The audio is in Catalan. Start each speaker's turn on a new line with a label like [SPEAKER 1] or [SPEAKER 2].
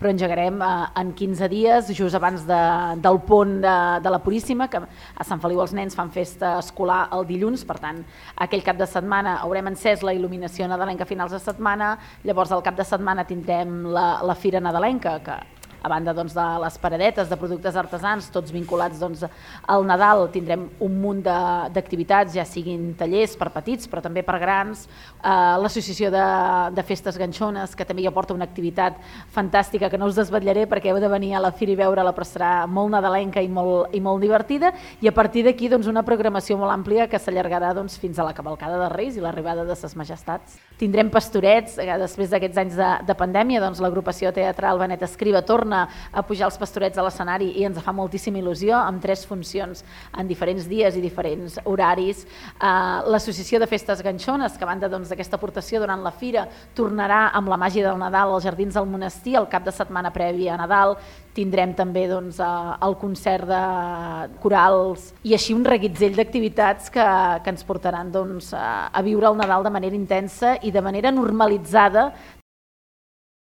[SPEAKER 1] però engegarem en 15 dies, just abans del pont de la Puríssima, que a Sant Feliu els nens fan festa escolar el dilluns, per tant, aquell cap de setmana haurem encès la il·luminació nadalenca a finals de setmana, llavors al cap de setmana tindrem la Fira Nadalenca, que a banda de les paradetes de productes artesans, tots vinculats al Nadal, tindrem un munt d'activitats, ja siguin tallers per petits, però també per grans, l'associació de festes ganxones, que també ja porta una activitat fantàstica que no us desvetllaré perquè heu de venir a la fira i veure-la, però serà molt nadalenca i molt divertida, i a partir d'aquí una programació molt àmplia que s'allargarà fins a la cavalcada de Reis i l'arribada de ses majestats. Tindrem pastorets, després d'aquests anys de pandèmia, l'agrupació teatral Benet Escriba torna a pujar els pastorets a l'escenari i ens fa moltíssima il·lusió, amb 3 funcions en diferents dies i diferents horaris. L'associació de festes ganxones, que a banda d'aquesta aportació durant la fira, tornarà amb la màgia del Nadal als Jardins del Monestir el cap de setmana previ a Nadal. Tindrem també el concert de corals i així un reguitzell d'activitats que ens portaran a viure el Nadal de manera intensa i de manera normalitzada